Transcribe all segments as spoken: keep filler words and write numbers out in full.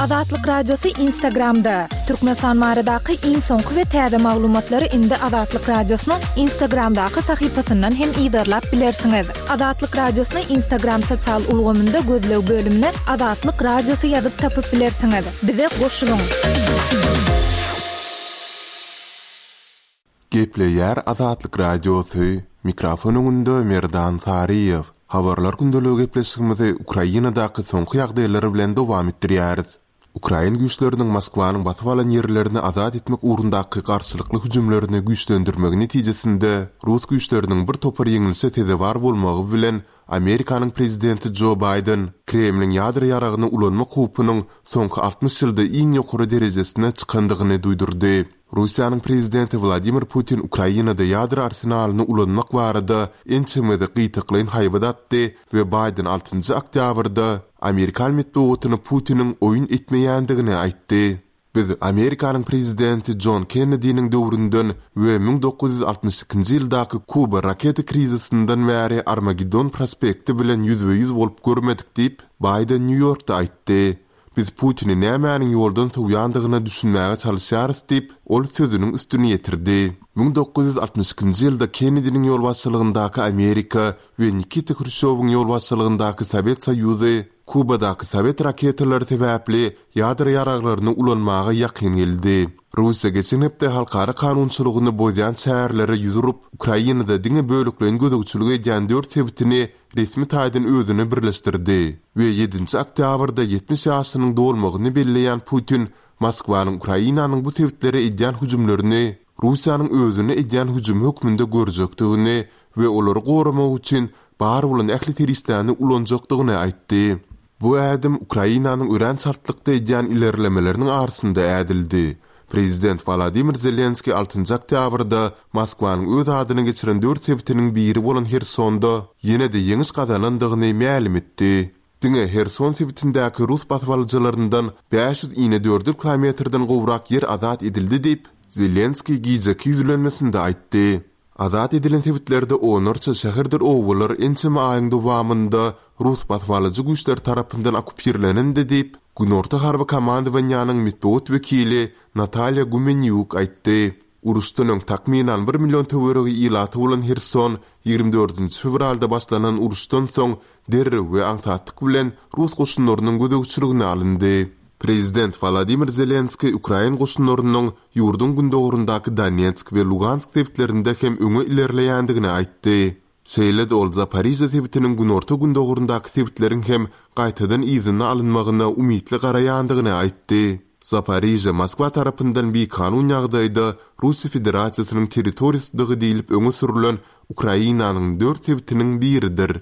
Azatlyk Radiosy Instagramda! Türkmenistan baradaky iň soňky we täze maglumatlary indi Azatlyk Radiosynyň Instagramdaky sahypasyndan hem yzarlap bilersiňiz. Azatlyk Radiosyny Instagram sosial ulgamynda gözleg bölümine Azatlyk Radiosy ýazyp tapyp bilersiňiz. Bize goşulyň! Gepleýär Azatlyk Radiosy, mikrofon öňünde Merdan Saryýew. Habarlar gündeligi gepleşigimizi Ukrainadaky soňky ýagdaýlar bilen dowam etdirýäris. Ukrain güýçleriniň Moskwanyň basyp alan ýerlerini azat etmek ugrundaky garşylykly hüjümlerini güýçlendirmegi netijesinde rus güýçleriniň bir topar ýeňlişe sezewar bolmagy bilen Amerikanyň prezidenti Jo Baýden Kremliň ýadro ýaragyny ulanmak howpunyň soňky altmyş ýylda iň ýokary derejesine çykandygyny duýdurdy. Russiýanyň prezidenti Wladimir Putin Ukrainada ýadro arsenalyny ulanmak barada ençeme gezek gytaklaýyn haýbat atdy we Baýden altynjy oktýabrda amerikan metbugatyna Putiniň oýun etmeýändigini aýtdy. Biz Amerikanyň prezidenti Jon Kennediniň döwründen we müň dokuz ýüz altmyş ikinji ýyldaky Kuba raketa krizisinden bäri Armageddon prospekti bilen ýüzbe-ýüz bolup görmedik diýip, Baýden Nýu-Ýorkda aýtdy. Biz Putini nämäniň ýoldan sowýandygyna düşünmäge çalyşýarys diýip, ol sözüniň üstüni ýetirdi. Müň dokuz ýüz altmyş ikinji ýylda Kennediniň ýolbaşçylygyndaky Amerika we Nikita Hruşýowyň ýolbaşçylygyndaky Sowet Soýuzy Kubadaky sowet raketalary sebäpli ýadro ýaraglaryny ulanmaga ýakyn geldi. Russiýa geçen hepde halkara kanunçylygyny bozýan çärelere ýüz urup, Ukrainada diňe bölekleýin gözegçilik edýän dört sebitini resmi taýdan özüne birleşdirdi we ýedinji oktýabrda ýetmiş ýaşynyň dolmagyny belleýän Putin Moskwanyň Ukrainanyň bu sebitlere edýän hüjümlerini Russiýanyň özüne edýän hüjümi hökmünde görjekdigini we olary goramak üçin bar bolan ähli serişdäni ulanjakdygyny aýtdy. Bu ädim Ukrainanyň örän çaltlykda edýän ilerlemeleriniň arasynda ädildi. Prezident Wolodymyr Zelenskiý altynjy oktýabrda Moskwanyň öz adyna geçiren dört sebitiniň biri bolan Hersonda ýene-de ýeňiş gazanandygyny mälim etdi. Diňe Herson sebitindäki rus basybalyjylaryndan bäş ýüz inedördül kilometrden gowrak ýer azat edildi diýip, Zelenskiý gijeki ýüzlenmesinde aýtdy. Azat edilen sebitlerde onlarça şäherdir obalar ençeme aýyň dowamynda rus basybalyjy güýçleri tarapyndan okkupirlenendi diýip, Günorta harby komandowaniýanyň metbugat wekili Natalýa Gumenýuk aýtdy. Uruşdan öň takmynan bir million töweregi ilaty bolan Herson ýigrimi dördünji fewralda başlanan uruşdan soň derrew we aňsatlyk bilen rus goşunlarynyň gözegçiligine alyndy. Prezident Wolodymyr Zelenskiý ukrain goşunlarynyň ýurduň gündogaryndaky Donetsk we Lugansk sebitlerinde hem öňe ilerleýändigini aýtdy. Şeýle-de ol Zaporižýa sebitiniň günorta-gündogaryndaky sebitleriň hem gaýtadan yzyna alynmagyna umytly garaýandygyny aýtdy. Zaporižýa Moskwa tarapyndan bikanun ýagdaýda Russiýa Federasiýasynyň territoriýasydygy diýlip öňe sürülen Ukrainanyň dört sebitiniň biridir.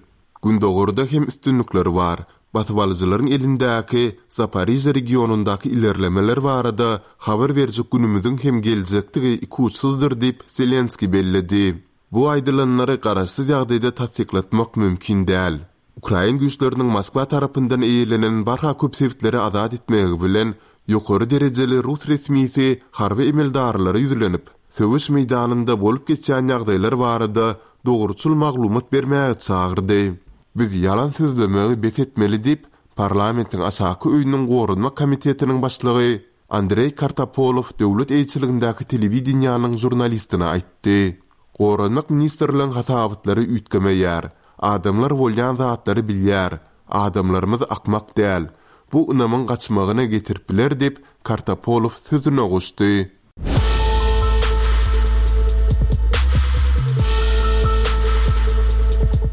Gündogarda hem üstünlikler bar. Basybalyjylaryň elindäki Zaporižýa regionyndaky ilerlemeler barada habar berjek günümiziň hem geljekdigi ikuçsuzdyr diýip, Zelenskiý belledi. Bu aýdylanlary garaşsyz ýagdaýda tassyklatmak mümkin däl. Ukrain güýçleriniň Moskwa tarapyndan eýelenen barha köp sebitleri azat etmegi bilen, ýokary derejeli rus resmisi harby emeldarlara ýüzlenip, söweş meýdanynda bolup geçýän ýagdaýlar barada dogruçyl maglumat bermäge çagyrdy. Biz ýalan sözlemegi bes etmeli diýip, parlamentiň aşaky öýüniň Goranmak komitetiniň başlygy Andreý Kartapolow döwlet eýeçiligindäki telewideniýäniň žurnalistine aýtdy. Goranmak ministrligiň hasabatlary üýtgemeýär. Adamlar bolýan zatlary bilýär. Adamlarymyz akmak däl. Bu ynamyň gaçmagyna getirip biler diýip, Kartapolow sözüne goşdy.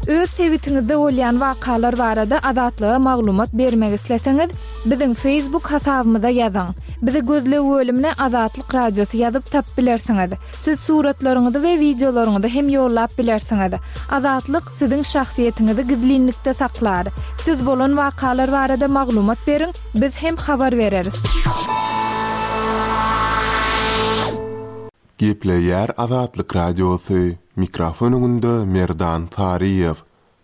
Öz sebitiňizde bolýan wakalar barada Azatlyga maglumat bermek isleseňiz, biziň Facebook hasabymyza ýazyň. Bizi gözleg bölümine Azatlyk Radiosy ýazyp tapyp bilersiňiz. Siz suratlaryňyzy we wideolaryňyzy hem ýollap bilersiňiz. Azatlyk siziň şahsyýetiňizi gizlinlikde saklar. Siz bolan wakalar barada maglumat beriň, biz hem habar bereris. Gepleýär Azatlyk Radiosy, mikrofon öňünde Merdan Saryýew.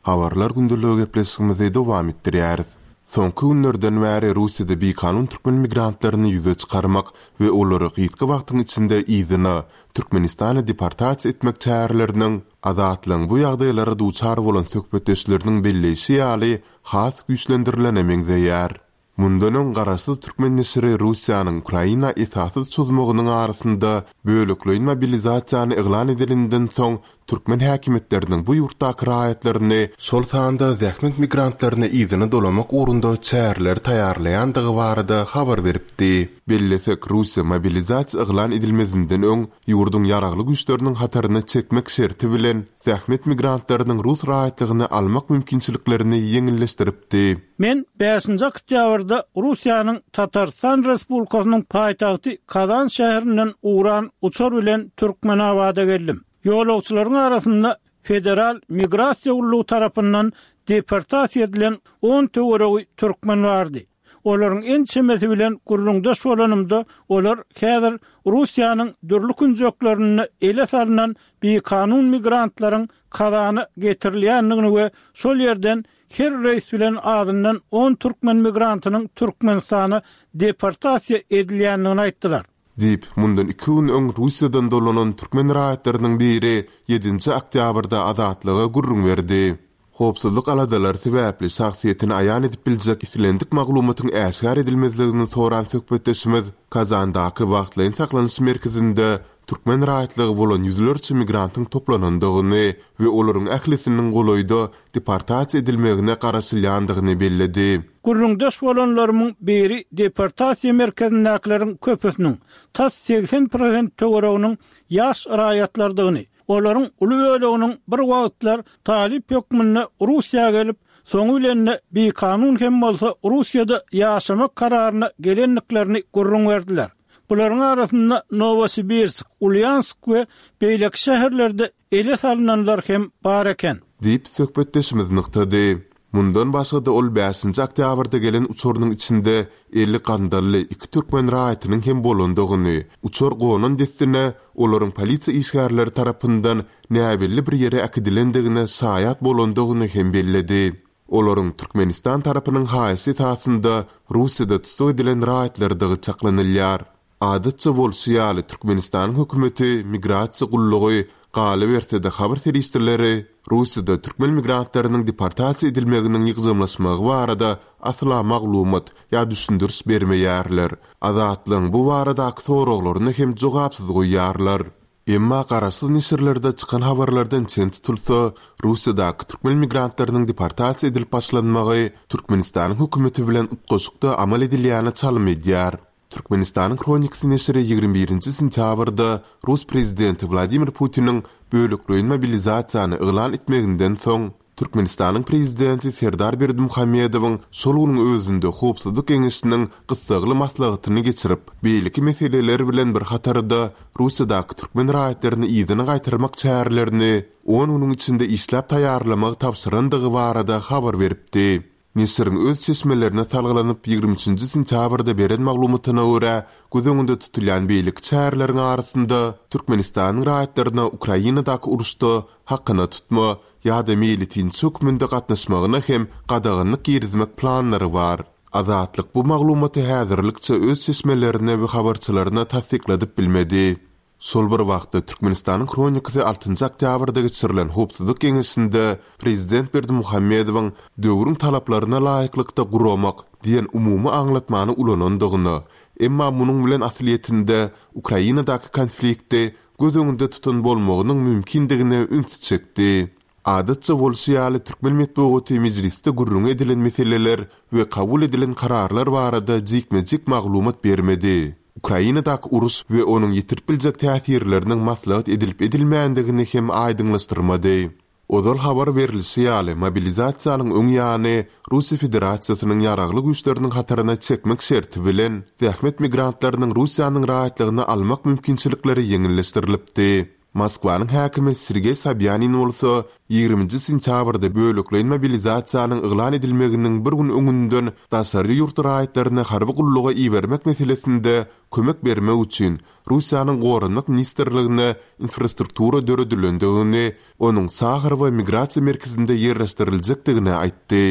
Habarlar gündeligi gepleşigimizi dowam etdirýäris. Soňky günlerden bäri Russiýada bikanun türkmen migrantlaryny ýüze çykarmak we olary gysga wagtyň içinde yzyna, Türkmenistana deportasiýa etmek çäreleriniň Azatlygyň bu ýagdaýlara duçar bolan söhbetdeşleriniň belleýşi ýaly, has güýçlendirilene meňzeýär. Mundan öň garaşsyz türkmen neşiri Russiýanyň Ukraina esassyz çozmagynyň arasynda bölekleýin mobilizasiýany yglan edeninden soň türkmen häkimiýetleriniň bu ýurtdaky raýatlaryny, şol sanda zähmet migrantlaryny yzyna dolamak ugrunda çäreleri taýýarlaýandygy barada habar beripdi. Bellesek, Russiýa mobilizasiýa yglan edilmezinden öň ýurduň ýaragly güýçleriniň hataryna çekmek şerti bilen zähmet migrantlarynyň rus raýatlygyny almak mümkinçiliklerini ýeňilleşdiripdi. Men bäşinji oktýabrda Russiýanyň Tatarystan Respublikasynyň paýtagty Kazan şäherinden ugran uçar bilen Türkmenabada geldim. Ýolagçylaryň arasynda Federal migrasiýa gullugy tarapyndan deportasiýa edilen on töweregi türkmen bardy. Olaryň ençemesi bilen gürrüňdeş bolanymda, olar häzir Russiýanyň dürli künjeklerinde ele salnan bikanun migrantlaryň Kazana getirilýändigini we şol ýerden her reýs bilen azyndan on türkmen migrantynyň Türkmenistana deportasiýa edilýändigini aýtdylar. Diýip, mundan iki gün öň Russiýadan dolanan türkmen raýatlarynyň biri ýedinji oktýabrda Azatlyga gürrüň berdi. Howpsuzlyk aladalary sebäpli şahsyýetini aýan edip biljek islendik maglumatyň äşgär edilmezligini soran söhbetdeşimiz Kazandaky wagtlaýyn saklanyş merkezinde türkmen raýatlygy bolan ýüzlerçe migrantyň toplanandygyny we olaryň ählisiniň golaýda deportasiýa edilmegine garaşylýandygyny belledi. Gürrüňdeş bolanlarymyň biri deportasiýa merkezindäkileriň köpüsiniň, tas segsen prosent töwereginiň ýaş raýatlardygyny, olaryň uly böleginiň bir wagtlar talyp hökmünde Russiýa gelip, soňy bilen-de bikanun hem bolsa Russiýada ýaşamak kararyna gelendiklerini gürrüň berdiler. Bularyň arasynda Nowosibirsk, Ulýansk we beýleki şäherlerde ele salynanlar hem bar eken. Diýip, söhbetdeşimiz nygtady. Mundan başga-da ol bäşinji oktýabrda gelen uçarynyň içinde eli gandally iki türkmen raýatynyň hem bolandygyny, uçar gonan dessine olaryň polisiýa işgärleri tarapyndan näbelli bir ýere äkidilendigine şaýat bolandygyny hem belledi. Olaryň Türkmenistan tarapynyň haýyşy esasynda Russiýada tussag edilen raýatlardygy çaklanylýar. Adatça bolşy ýaly, Türkmenistanyň hökümeti, migrasiýa gullugy, galyberse-de habar serişdeleri Russiýada türkmen migrantlarynyň deportasiýa edilmeginiň ýygjamlaşmagy barada asla maglumat ýa düşündiriş bermeýärler. Azatlygyň bu baradaky soraglaryny hem jogapsyz goýýarlar. Emma garaşsyz neşirlerde çykan habarlardan çen tutulsa, Russiýadaky türkmen migrantlarynyň deportasiýa edilip başlanmagy Türkmenistanyň hökümeti bilen utgaşykda amal edilýäne çalym edýär. Türkmenistanyň Hronikasy neşiri ýigrimi birinji sentýabrda rus prezidenti Wladimir Putiniň bölekleýin mobilizasiýany yglan etmeginden soň, Türkmenistanyň prezidenti Serdar Berdimuhamedowyň şol günüň özünde Howpsuzlyk geňeşiniň gyssagly maslahatyny geçirip, beýleki meseleler bilen bir hatarda Russiýadaky türkmen raýatlaryny yzyna gaýtarmak çärelerini on günüň içinde işläp taýýarlamagy tabşyrandygy barada habar beripdi. Neşiriň öz çeşmelerine salgylanyp ýigrimi üçünji sentýabrda beren maglumatyna görä, göz öňünde tutulýan beýleki çäreleriň arasynda Türkmenistanyň raýatlaryna Ukrainadaky uruşda hakyna tutma ýa-da meýletinçi hökmünde gatnaşmagyna hem gadaganlyk girizmek planlary bar. Azatlyk bu maglumaty häzirlikçe öz çeşmelerine we habarçylaryna tassykladyp bilmedi. Şol bir wagtda Türkmenistanyň Hronikasy altynjy oktýabrda geçirilen Howpsuzlyk geňeşinde Prezident Berdimuhamedowyň döwrüň talaplaryna laýyklykda guramak diýen umumy aňlatmany ulanandygyna, emma munuň bilen aslyýetinde Ukrainadaky konflikti göz öňünde tutan bolmagynyň mümkindigine ünsi çekdi. Adatça bolşy ýaly türkmen metbugaty mejlisde gürrüň edilen meseleler we kabul edilen kararlar barada jikme-jik maglumat bermedi. Ukrainadaky uruş we onuň ýetirip biljek täsirleriniň maslahat edilip edilmändigini hem aýdyňlaşdyrmady. Ozal habar berlişi ýaly, mobilizasiýanyň öň ýany Russiýa Federasiýasynyň ýaragly güýçleriniň hataryna çekmek şerti bilen zähmet migrantlarynyň Russiýanyň raýatlygyny almak mümkinçilikleri ýeňilleşdirilipdi. Moskwanyň häkimi Sergeý Sobýanin bolsa ýigriminji sentýabrda bölekleýin mobilizasiýanyň yglan edilmeginiň bir gün öňünden daşary ýurt raýatlaryny harby gulluga ibermek meselesinde kömek bermek üçin Russiýanyň Goranmak ministrligine infrastruktura döredilendigini, onuň Saharowa migrasiýa merkezinde ýerleşdiriljekdigini aýtdy.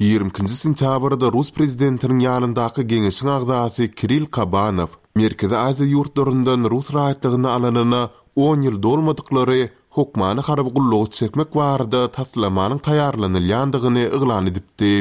Ýigrimi ikinji sentýabrda rus prezidentiniň ýanyndaky geňeşiň agzasy Kirill Kabanow Merkezi Aziýa ýurtlaryndan rus raýatlygyny alanyna on ýyl dolmadyklary hökmany harby gulluga çekmek barada taslamanyň taýýarlanylýandygyny yglan edipdi.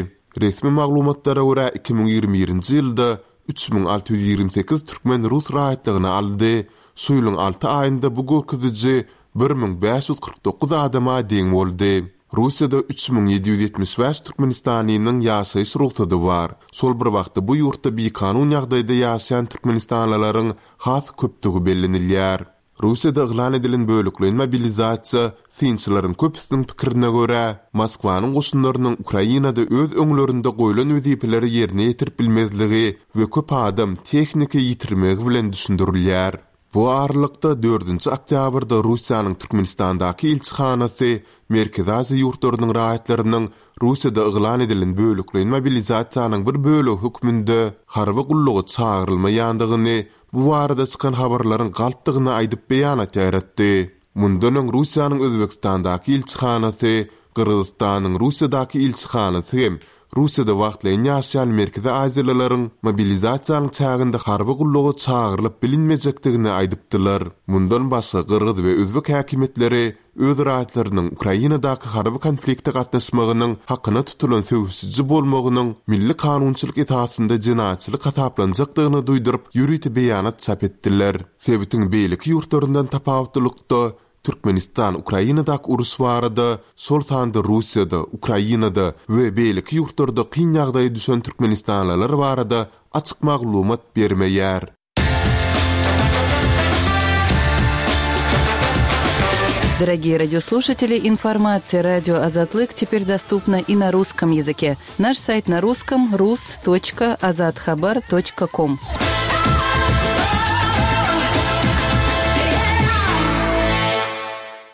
Resmi maglumatlara görä iki müň ýigrimi birinji ýylda üç müň alty ýüz ýigrimi sekiz türkmen rus raýatlygyny aldy. Şu ýylyň alty aýynda bu görkeziji bir müň bäş ýüz kyrk dokuz adama deň boldy. Russiýada üç müň ýedi ýüz ýetmiş bäş türkmenistanlynyň ýaşaýyş rugsady bar. Şol bir wagtda bu ýurtda bikanun ýagdaýda ýaşaýan türkmenistanlylaryň has köpdügi bellenilýär. Russiýada yglan edilen bölekleýin mobilizasiýa synçylaryň köpüsiniň pikirine görä, Moskwanyň goşunlarynyň Ukrainada öz öňlerinde goýlan wezipeleri ýerine ýetirip bilmezligi we köp adam tehniki ýitirmegi bilen düşündirilýär. Bu aralykda dördünji oktýabrda Russiýanyň Türkmenistandaky ilçihanasy Merkezi Aziýa ýurtlarynyň raýatlarynyň Russiýada yglan edilen bölekleýin mobilizasiýanyň bir bölegi hökmünde harby gulluga çagyrylmaýandygyny, bu barada çykan habarlaryň galpdygyny aýdyp beýanat ýaýratdy. Mundan öň Russiýanyň Özbekistandaky ilçihanasy, Gyrgyzystanyň Russiýadaky ilçihanasy hem Russiýada wagtlaýyn ýaşaýan Merkezi Aziýalylaryň mobilizasiýanyň çäginde harby gulluga çagyrylyp bilinmejekdigini aýdypdylar. Mundan başga gyrgyz we özbek häkimiýetleri öz raýatlarynyň Ukrainadaky harby konflikte gatnaşmagynyň hakyna tutulan söweşiji bolmagynyň milli kanunçylyk esasynda jenaýatçylyk hasaplanjakdygyny duýduryp, ýörite beýanat çap etdiler. Sebitiň beýleki ýurtlaryndan tapawutlylykda Türkmenistan Ukrainadaky uruş barada, şol sanda Russiýada, Ukrainada we beýleki ýurtlarda kyn ýagdaýa düşen türkmenistanlylar barada açyk maglumat bermeýär. Дорогие радиослушатели, информация радио Азатлык теперь доступна и на русском языке. Наш сайт на русском рус точка азатхабар точка ком.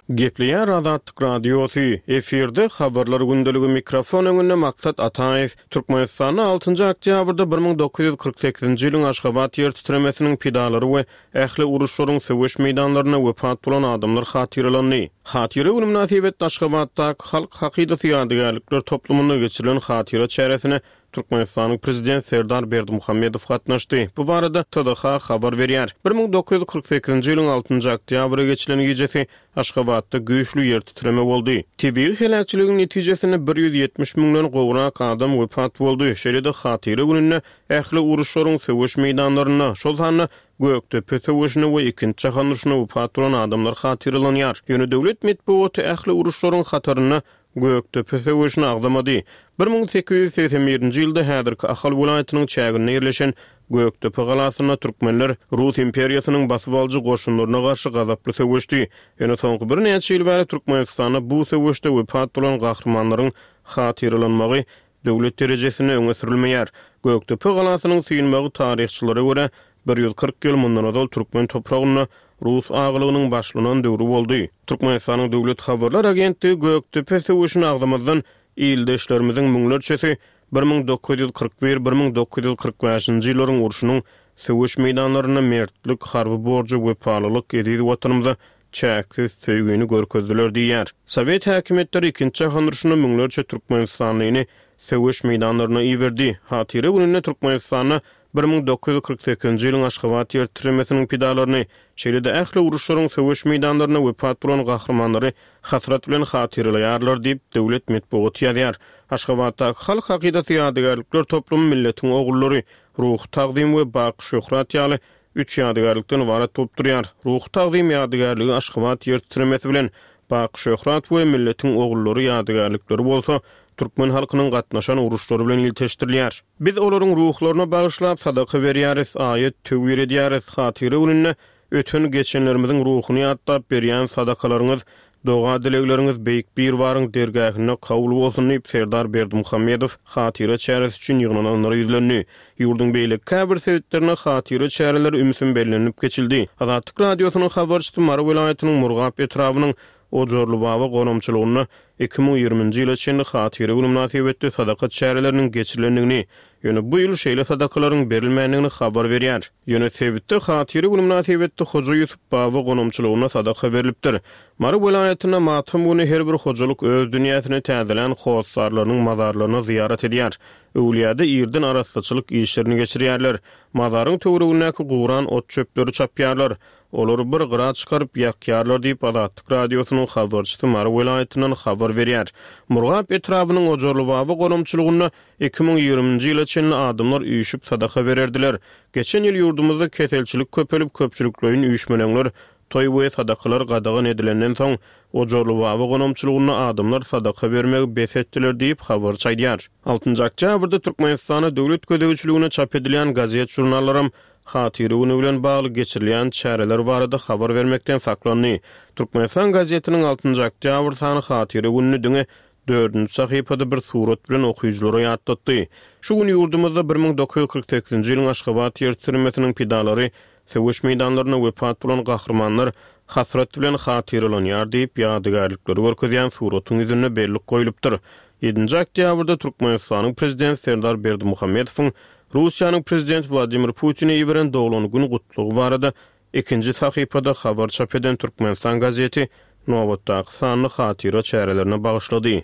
Gepleýär Azatlyk Radiosy, efirde habarlar gündeligi mikrofon öňünde Maksat Ataýew. Türkmenistanda altynjy oktýabrda bir müň dokuz ýüz kyrk sekizinji ýylyň Aşgabat ýer titremesiniň pidalary we ähli uruşlaryň söweş meýdanlarynda wepat bolan adamlar hatyralandy. Hatyra günü mynasybetli Aşgabatdaky Halk Hakydasy ýadygärlikler toplumynda geçirilen hatyra çäresine Türkmenistanyň prezident Serdar Berdimuhamedow gatnaşdy. Bu barada T D H habar berýär. bir müň dokuz ýüz kyrk sekizinji ýylyň altynjy oktýabra geçilen gijesi Aşgabatda güýçli ýer titreme boldy. Tebigy heläkçiligiň netijesinde bir ýüz ýetmiş müňden gowrak adam wepat boldy. Şeýle-de hatyra gününde ähli uruşlaryň söweş meýdanlarynda, şol sanda Gökdepe söweşine we ikinji jahan urşuna wepat bolan adamlar hatyralanýar. Ýöne döwlet metbugaty ähli uruşlaryň hatarynda Gökdepe söweşini agzamady. bir müň sekiz ýüz segsen birinji ýylda häzirki Ahal welaýatynyň çäginde ýerleşen Gökdepe galasynda türkmenler Rus imperiýasynyň basyp alyjy goşunlaryna garşy gazaply söweşdi. Ýöne soňky birnäçe ýyl bäri Türkmenistanda bu söweşde wepat bolan gahrymanlaryň hatyralanmagy döwlet derejesinde öňe sürülmeýär. Gökdepe galasynyň synmagy taryhçylara görä bir ýüz kyrk ýyl mundan ozal türkmen topragynda Rus ağalygynyň başlanan döwri boldy. Türkmenistanyň Döwlet Habarlar Agentligi Gökdepe söweşini agzamazdan ildeşlerimiziň müňlerçesi bir müň dokuz ýüz kyrk bir, bir müň dokuz ýüz kyrk bäşinji ýyllaryň urşunyň söweş meýdanlarynda mertlik, harby borjy, wepalylyk eziz watanymyza çäksiz söýgüni görkezdiler diýär. Sowet häkimiýetleri ikinji jahan urşunda müňlerçe türkmenistanlyny söweş meýdanlaryna iberdi. Hatyra gününde Türkmenistanda bir müň dokuz ýüz kyrk sekizinji ýylyň Aşgabat ýer titremesiniň pidalaryny, şeýle-de ähli uruşlaryň söweş meýdanlaryna wepat bolan gahrymanlary hasrat bilen hatyralaýarlar diýip döwlet metbugaty ýazýar. Aşgabatdaky Halk Hakydasy ýadygärlikler toplumy milletiň ogullary, Ruhy tagzym we Baky şöhrat ýaly üç ýadygärlikden ybarat bolup durýar. Ruhy tagzym ýadygärligi Aşgabat ýer titremesi bilen Baky şöhrat we milletiň ogullary ýadygärlikleri bolsa türkmen halkynyň gatnaşan uruşlary bilen ilteşdirilýär. Biz olaryň ruhlaryna bagyşlap sadaka berýäris, aýat töwir edýäris. Hatyra gününde öten geçenlerimiziň ruhuny ýatlap berýän sadakalaryňyz, doga dilegleriňiz beýik Birbaryň dergähinde kabul bolsun diýip Serdar Berdimuhamedow hatyra çäresi üçin ýygnananlara ýüzlendi. Ýurduň beýleki käbir sebitlerinde hatyra çäreleri ümsüm bellenilip geçildi. Azatlyk Radiosynyň habarçysy Mary welaýatynyň Murgap etrabynyň Ojarly Baba gonamçylygynda iki müň ýigriminji ýyla çenli hatyra günü mynasybetli sadaka çäreleriniň geçirilendigini, ýöne bu ýyl şeýle sadakalaryň berilmändigini habar berýär. Ýöne sebitde hatyra günü mynasybetli Hoja Ýusup Baba gonamçylygynda sadaka berilipdir. Mary welaýatynda matam günü her bir hojalyk öz dünýäsini täzelän hossarlarynyň mazarlaryna zyýarat edýär. Öwlüýäde irden arassaçylyk işlerini geçirýärler. Mazaryň töweregindäki guran ot çöpleri çapýarlar. Olary bir gyra çykaryp ýakýarlar diýip Azatlyk Radiosynyň habarçysy Mary welaýatyndan habar habar berýär. Murgap etrabynyň Ojarlybaba gonamçylygynda iki müň ýigriminji ýyla çenli adamlar üýşüp sadaka bererdiler. Geçen ýyl ýurdumyzda keselçilik köpelip, köpçülikleýin üýşmeleňler, toý we sadakalar gadagan edilenden soň Ojarlybaba gonamçylygynda adamlar sadaka bermegi bes etdiler diýip habarçy aýdýar. Altynjy oktýabrda Türkmenistanda döwlet gözegçiligine çap edilýän gazet-žurnallaram Hatyra güni bilen bagly geçirilýän çäreler barada habar bermekden saklandy. Türkmenistan gazetiniň altynjy oktýabr sany Hatyra gününi diňe dördünji sahypada bir surat bilen okyjylara ýatlatdy. Şu gün ýurdumyzda bir müň dokuz ýüz kyrk sekizinji ýylyň Aşgabat ýer titremesiniň pidalary, söweş meýdanlarynda wepat bolan gahrymanlar hasrat bilen hatyralanýar diýip ýadygärlikleri görkezýän suratyň ýüzünde bellik goýlupdyr. Ýedinji oktýabrda Türkmenistanyň prezidenti Serdar Berdimuhamedowyň Russiýanyň prezidenti Wladimir Putine iberen doglan gün gutlagy barada ikinji sahypada habar çap eden Türkmenistan gazeti nobatdaky sanly hatyra çärelerine bagyşlady.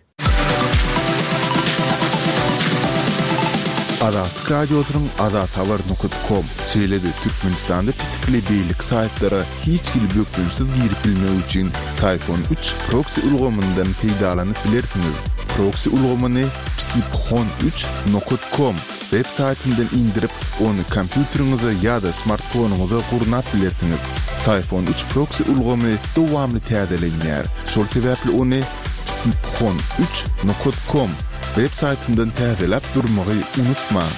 Azatlyk Radiosynyň azathabar nokta com, şeýle-de Türkmenistanda petikli beýleki saýtlara hiç hili bökdençsiz girip bilmek üçin Syphon üç proksi ulgamyndan peýdalanyp bilersiňiz. Proksi ulgamyny psiphon üç nokta com web saýtyndan indirip, ony kompýuteriňize ýa-da smartfonyňyza gurnap bilersiňiz. Syphon üç proksi ulgamy dowamly täzelenýär. Şol sebäpli ony psiphon üç nokta com web saýtyndan täzeläp durmagy unutmaň.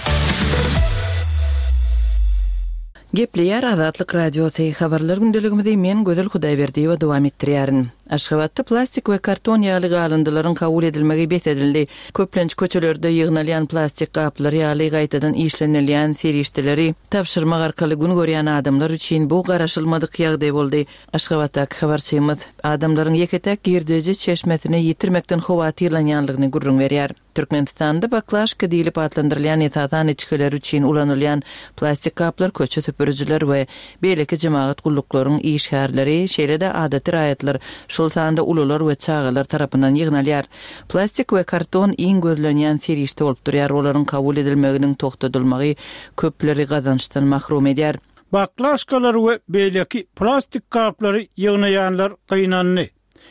Gepleýär Azatlyk Radiosy. Habarlar gündeligimizi men Gözel Hudaýberdiýewa dowam etdirýärin. Aşgabatda plastik we karton ýaly galyndylaryň kabul edilmegi bes edildi. Köplenç köçelerde ýygnalýan plastik gaplar ýaly gaýtadan işlenilýän serişdeleri tabşyrmak arkaly gün görýän adamlar üçin bu garaşylmadyk ýagdaý boldy. Aşgabatdaky habarçymyz adamlaryň ýeke-tek girdeji çeşmesini ýitirmekden howatyrlanýanlygyny gürrüň berýär. Türkmenistanda baklaşka diýlip atlandyrylýan esasan içgiler üçin ulanylýan plastik gaplar köçe süpürijiler we beýleki jemagat gulluklaryň işgärleri, şeýle-de adaty raýatlar, şol sanda ulular we çagalar tarapyndan ýygnalýar. Plastik we karton iň gözlenýän serişde bolup durýar. Olaryň kabul edilmeginiň togtadylmagy köpleri gazançdan mahrum edýär. Baklaşkalar we beýleki plastik gaplary ýygnaýanlar gynandy.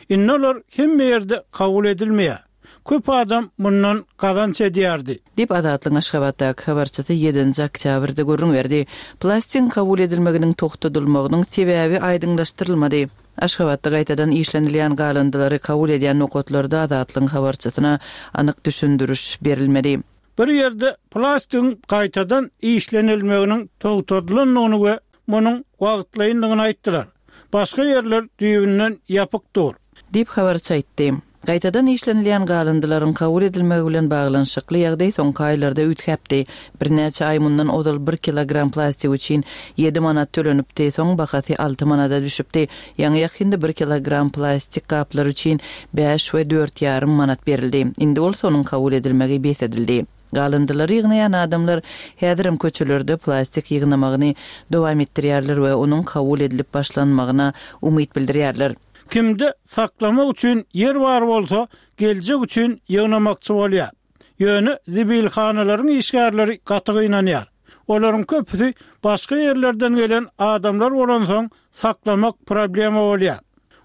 Indi olar hemme ýerde kabul edilmeýär. Köp adam mundan gazanç edýärdi. Diýip Azatlyk Aşgabatdaky habarçysy ýedinji oktýabrda gürrüň berdi. Plastigiň kabul edilmeginiň togtadylmagynyň sebäbi aýdyňlaşdyrylmady. Aşgabatda gaýtadan işlenilýän galyndylary kabul edýän nokatlarda Azatlygyň habarçysyna anyk düşündiriş berilmedi. Bir ýerde plastigiň gaýtadan işlenilmeginiň togtadylandygyny we munuň wagtlaýyndygyny aýtdylar. Başga ýerler düýbünden ýapyk dur. Diýip habarçy aýtdy. Gaýtadan işlenilýän galyndylaryň kabul edilmegi bilen baglanyşykly ýagdaý soňky aýlarda üýtgäpdi. Birnäçe aý mundan ozal bir kilogram plastik üçin ýedi manat tölenipdi, soň bahasy alty manada düşüpdi. Ýaňy ýakynda bir kilogram plastik gaplar üçin bäş we dört ýarym manat berildi. Indi bolsa onuň kabul edilmegi bes edildi. Galyndylary ýygnaýan adamlar häzirem köçelerde plastik ýygnamagyny dowam etdirýärler we onuň kabul edilip başlanmagyna umyt bildirýärler. Kimde saklamak üçin ýer bar bolsa, geljek üçin ýygnamakçy bolýar. Ýöne zibilhanalaryň işgärleri gaty gynanýar. Olaryň köpüsi başga ýerlerden gelen adamlar bolansoň saklamak problema bolýar.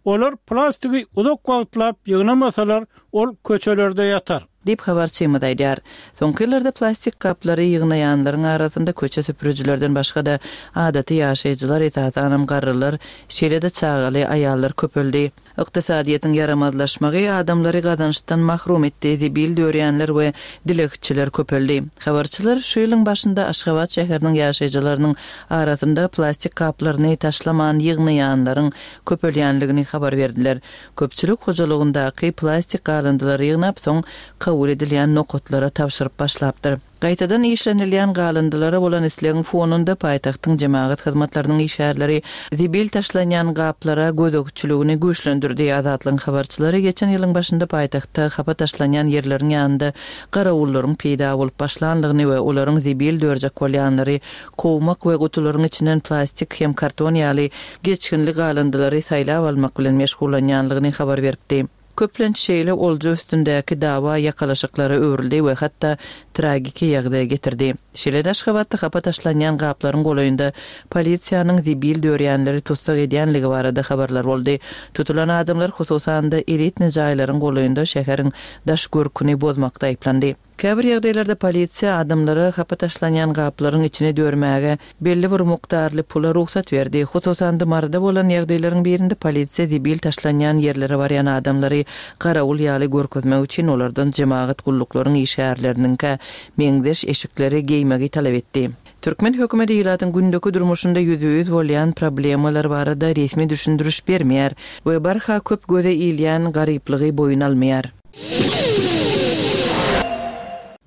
Olar plastigi uzak wagtlap ýygnamasalar, ol köçelerde ýatar. Diýip habarçymyz aýdýar. Soňky ýyllarda plastik gaplary ýygnaýanlaryň arasynda köçe süpürijilerden başga-da adaty ýaşaýjylar, esasanam garrylar, şeýle-de çagaly aýallar köpeldi. Ykdysadyýetiň ýaramazlaşmagy adamlary gazançdan mahrum etdi, zibil dörýänler we dilegçiler köpeldi. Habarçylar şu ýylyň başynda Aşgabat şäheriniň ýaşaýjylarynyň arasynda plastik gaplaryny taşlaman ýygnaýanlaryň köpelýänligini habar berdiler. Köpçülik hojalygyndaky plastik galyndylary ýygnap, soň kabul edilýän nokatlara tabşyryp başlapdyr. Gaýtadan işlenilýän galyndylara bolan islegiň fonunda paýtagtyň jemagat hyzmatlarynyň işgärleri zibil taşlanýan gaplara gözegçiligini güýçlendirdi. Azatlygyň habarçylary geçen ýylyň başynda paýtagtda hapa taşlanýan ýerleriň ýanynda garawullaryň peýda bolup başlanlygyny we olaryň zibil dörjek bolýanlary kowmak we gutularyň içinden plastik hem karton ýaly geçginli galyndylary saýlap almak bilen meşgullanýanlygyny habar beripdi. Köplenç şeýle olja üstündäki dawa ýakalaşyklara öwrüldi we hatda tragiki ýagdaýa getirdi. Şeýle-de Aşgabatda hapa taşlanýan gaplaryň golaýynda polisiýanyň zibil dörýänleri tussag edýänligi barada habarlar boldy. Tutulan adamlar hususan-da elitni jaýlaryň golaýynda şäheriň daş görküni bozmakda aýyplandy. Käbir ýagdaýlarda polisiýa adamlara hapa taşlanýan gaplaryň içini dörmäge belli bir mukdarly pula rugsat berdi. Hususan-da Maryda bolan ýagdaýlaryň birinde polisiýa zibil taşlanýan ýerlere barýan adamlary garawul ýaly görkezmek üçin olardan jemagat gulluklaryň işgärleriniňkä meňzeş eşikleri geýmegi talap etdi. Türkmen hökümeti ilatyň gündeki durmuşynda ýüzbe-ýüz bolýan problemalar barada resmi düşündiriş bermeýär we barha köp göze ilýän garyplygy boýun almaýar.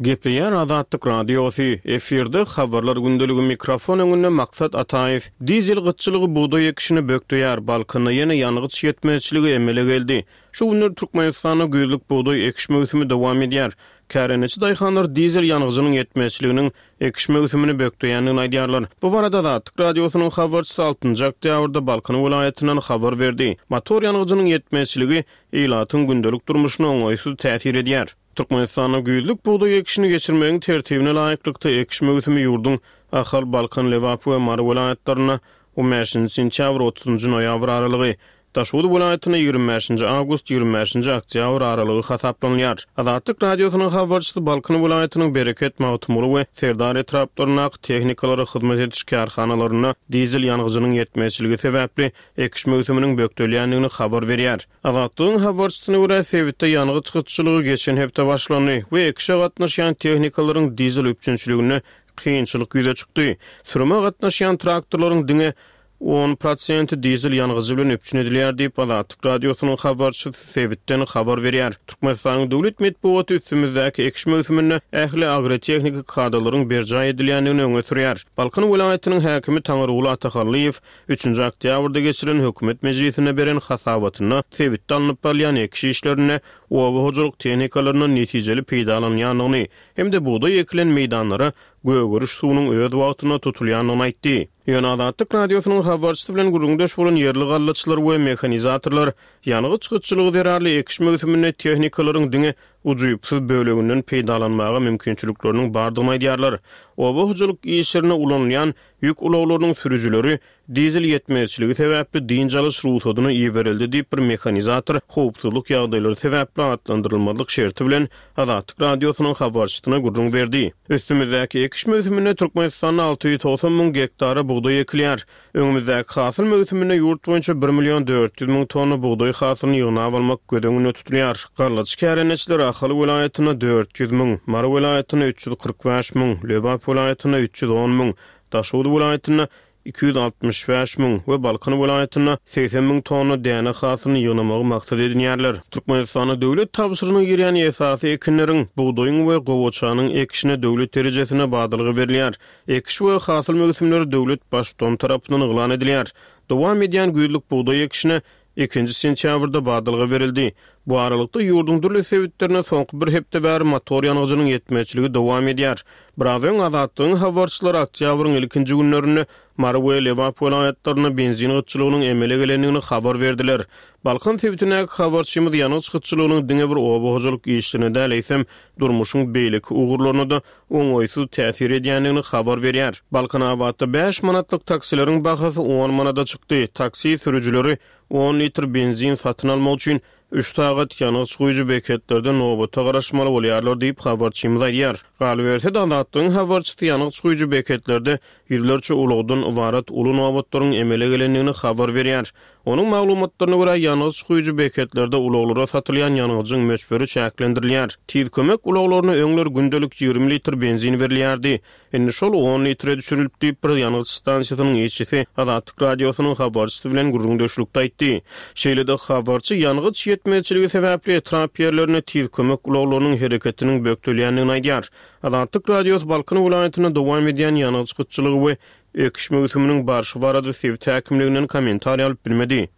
Gepleýär Azatlyk Radiosy, efirde habarlar gündeligi mikrofon öňünde Maksat Ataýew. Dizel gytçylygy bugdaý ekişini bökdeýär, Balkanda ýene ýangyç ýetmezçiligi emele geldi. Şu günler Türkmenistanda güýzlük bugdaý ekiş möwsümi dowam edýär. Kärendeçi daýhanlar dizel ýangyjynyň ýetmezçiliginiň ekiş möwsümini bökdeýändigini aýdýarlar. Bu barada Azatlyk Radiosynyň habarçysy altynjy oktýabrda Balkan welaýatyndan habar berdi. Motor ýangyjynyň ýetmezçiligi ilatyň gündelik durmuşyna oňaýsyz täsir edýär. Türkmenistanda güýzlük bugdaý ekişini geçirmegiň tertibine laýyklykda ekiş möwsümi ýurduň Ahal, Balkan, Lebap we Mary welaýatlarynda on bäşinji sentýabr, otuzynjy noýabr aralygy, Daşoguz welaýatynda ýigrimi bäşinji awgust, ýigrimi bäşinji oktýabr aralygy hasaplanylýar. Azatlyk Radiosynyň habarçysy Balkan welaýatynyň Bereket, Magtymguly we Serdar etraplaryndaky tehnikalara hyzmat ediş kärhanalarynda dizel ýangyjynyň ýetmezçiligi sebäpli ekiş möwsüminiň bökdelýändigini habar berýär. Azatlygyň habarçysyna görä, sebitde ýangyç gytçylygy geçen hepde başlandy we ekişe gatnaşýan tehnikalaryň dizel üpjünçiliginde kynçylyk ýüze çykdy. Sürüme gatnaşýan traktorlaryň diňe on prosenti dizel ýangyjy bilen üpjün edilýär diýip, Azatlyk Radiosynyň habarçysy sebitden habar berýär. Türkmenistanyň döwlet metbugaty üstümizdäki ekiş möwsüminde ähli agrotehniki kadalaryň berjaý edilýändigini öňe sürýär. Balkan welaýatynyň häkimi Taňryguly Atahallyýew üçünji oktýabrda geçirilen hökümet mejlisinde beren hasabatynda sebitde alnyp barylýan ekiş işlerinde oba hojalyk tehnikalaryndan netijeli peýdalanýandygyny hem-de bugdaý ekilen meýdanlara gögeriş suwunyň öz wagtynda tutulýandygyny aýtdy. Ýöne Azatlyk Radiosynyň habarçysy bilen gürrüňdeş bolan ýerli gallaçylar we mehanizatorlar ýangyç gytçylygy zerarly ekiş möwsüminde tehnikalaryň diňe ujypsyz böleginden peýdalanmaga mümkinçilikleriniň bardygyny aýdýarlar. Oba hojalyk işlerinde ulanylýan ýük ulaglarynyň sürüjileri dizel ýetmezçiligi sebäpli dynç alyş rugsadyna iberildi diýip bir mehanizator howpsuzlyk ýagdaýlary sebäpli atlandyrylmazlyk şerti bilen Azatlyk Radiosynyň habarçysyna gürrüň berdi. Üstümizdäki ekiş möwsüminde Türkmenistanda alty ýüz togsan müň gektara bugdaý ekilýär. Öňümizdäki hasyl möwsüminde ýurt boýunça bir million dört ýüz müň tonna bugdaý hasylyny ýygnap almak göz öňünde tutulýar. Gallaçy kärendeçiler Ahal welaýatynda dört ýüz müň, Mary welaýatynda üç ýüz kyrk bäş müň, Lebap welaýatynda üç ýüz on müň, Daşoguz welaýatynda iki ýüz altmyş bäş müň we Balkan welaýatynda segsen müň tonna däne hasylyny ýygnamagy maksat edinýärler. Türkmenistanda döwlet tabşyrygyna girýän esasy ekinleriň, bugdaýyň we gowaçanyň ekişine döwlet derejesinde badalga berilýär. Ekiş we hasyl möwsümleri döwlet baştutany tarapyndan yglan edilýär. Dowam edýän güýzlük bugdaý ekişine ikinji sentýabrda badalga berildi. Bu aralykda ýurduň dürli sebitlerinde soňky bir hepde bäri motor ýangyjynyň ýetmezçiligi dowam edýär. Biraz öň Azatlygyň habarçylary oktýabryň ilkinji günlerinde Mary we Lebap welaýatlarynda benzin gytçylygynyň emele gelendigini habar berdiler. Balkan sebitindäki habarçymyz ýangyç gytçylygynyň diňe bir oba hojalyk işlerine däl, eýsem durmuşyň beýleki ugurlaryna da oňaýsyz täsir edýändigini habar berýär. Balkanabatda bäş manatlyk taksileriň bahasy on manada çykdy. Taksi sürüjileri on litr benzin satyn almak üçin üç sagat ýangyç guýujy beketlerde nobata garaşmaly bolýarlar diýip habarçymyz aýdýar. Galyberse-de Azatlygyň habarçysy ýangyç guýujy beketlerde ýüzlerçe ulagdan ybarat uly nobatlaryň emele gelendigini habar berýär. Onuň maglumatlaryna görä ýangyç guýujy beketlerde ulaglara satylýan ýangyjyň möçberi çäklendirilýär. Tiz kömek ulaglaryna öňler gündelik ýigrimi litr benzin berilýärdi. Indi şol on litre düşürilip diýip bir ýangyç stansiýasynyň işçisi Azatlyk Radiosynyň habarçysy bilen gürrüňdeşlikde aýtdy. Şeýle-de habarçy ýangyç ýetmezçiligi sebäpli etrap ýerlerine tiz kömek ulaglarynyň hereketiniň bökdelýändigini aýdýar. Azatlyk Radiosy Balkan welaýatynda dowam edýän ýangyç gytçylygy we ekiş möwsüminiň barşy barada sebit häkimliginden kommentariý alyp bilmedi.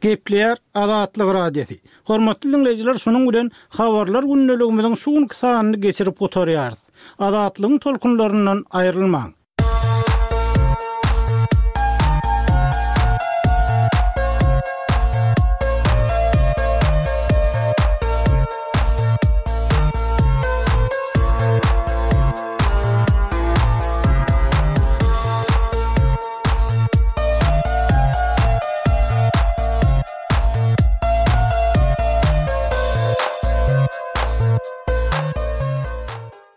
Gepleýär Azatlyk Radiosy. Hormatly dinleýjiler, şunuň bilen habarlar gündeligimiziň şu günki sanyny geçirip gutarýarys. Azatlygyň tolkunlaryndan aýrylmaň.